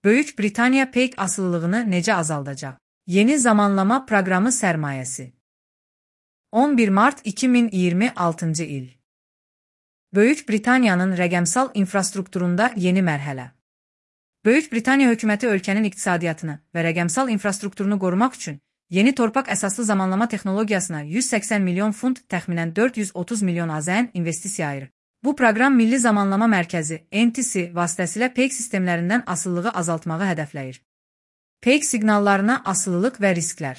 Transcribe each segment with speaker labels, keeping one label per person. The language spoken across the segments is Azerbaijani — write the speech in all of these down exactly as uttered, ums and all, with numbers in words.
Speaker 1: Böyük Britaniya peyk asılılığını necə azaldacaq? Yeni zamanlama proqramı sərmayəsi. on bir mart iki min iyirmi altıncı il. Böyük Britaniyanın rəqəmsal infrastrukturunda yeni mərhələ. Böyük Britaniya hökuməti ölkənin iqtisadiyyatını və rəqəmsal infrastrukturunu qorumaq üçün yeni torpaq əsaslı zamanlama texnologiyasına yüz səksən milyon funt, təxminən dörd yüz otuz milyon AZN investisiya ayırır. Bu proqram Milli Zamanlama Mərkəzi N T C vasitəsilə peyk sistemlərindən asılılığı azaltmağı hədəfləyir. Peyk siqnallarına asılılıq və risklər.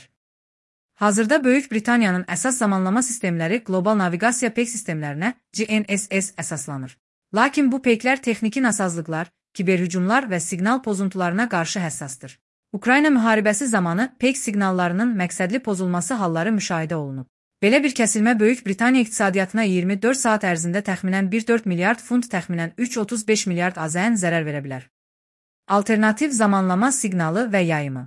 Speaker 1: Hazırda Böyük Britaniyanın əsas zamanlama sistemləri qlobal naviqasiya peyk sistemlərinə G N S S əsaslanır. Lakin bu peyklər texniki nasazlıqlar, kiberhücumlar və siqnal pozuntularına qarşı həssasdır. Ukrayna müharibəsi zamanı peyk siqnallarının məqsədli pozulması halları müşahidə olunub. Belə bir kəsilmə Böyük Britaniya iqtisadiyyatına iyirmi dörd saat ərzində təxminən bir nöqtə dörd milyard funt, təxminən üç nöqtə otuz beş milyard AZN zərər verə bilər. Alternativ zamanlama siqnalı və yayımı.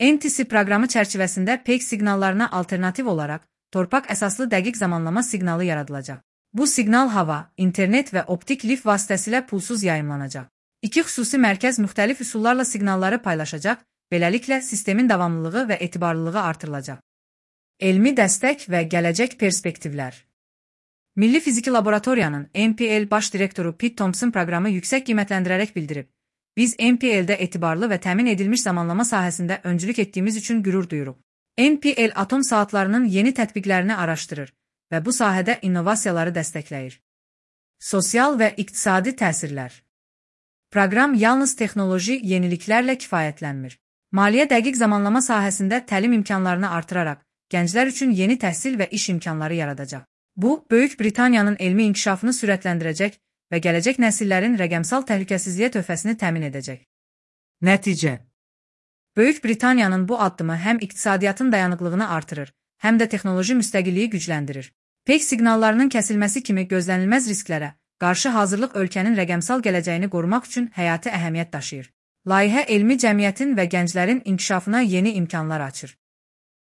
Speaker 1: N T C proqramı çərçivəsində peyk siqnallarına alternativ olaraq torpaq əsaslı dəqiq zamanlama siqnalı yaradılacaq. Bu siqnal hava, internet və optik lif vasitəsilə pulsuz yayımlanacaq. İki xüsusi mərkəz müxtəlif üsullarla siqnalları paylaşacaq, beləliklə sistemin davamlılığı və etibarlılığı artırılacaq. Elmi dəstək və gələcək perspektivlər. Milli Fiziki Laboratoriyanın N P L baş direktoru Pete Thompson proqramı yüksək qiymətləndirərək bildirib: "Biz N P L-də etibarlı və təmin edilmiş zamanlama sahəsində öncülük etdiyimiz üçün qürur duyuruq." N P L atom saatlarının yeni tətbiqlərini araşdırır və bu sahədə innovasiyaları dəstəkləyir. Sosial və iqtisadi təsirlər. Proqram yalnız texnoloji yeniliklərlə kifayətlənmir. Maliyyə dəqiq zamanlama sahəsində təlim imkanlarını artıraraq, gənclər üçün yeni təhsil və iş imkanları yaradacaq. Bu, Böyük Britaniyanın elmi inkişafını sürətləndirəcək və gələcək nəsillərin rəqəmsal təhlükəsizliyə töhfəsini təmin edəcək. Nəticə. Böyük Britaniyanın bu addımı həm iqtisadiyyatın dayanıqlığını artırır, həm də texnoloji müstəqilliyi gücləndirir. Peyk siqnallarının kəsilməsi kimi gözlənilməz risklərə qarşı hazırlıq ölkənin rəqəmsal gələcəyini qorumaq üçün həyati əhəmiyyət daşıyır. Layihə elmi cəmiyyətin və gənclərin inkişafına yeni imkanlar açır.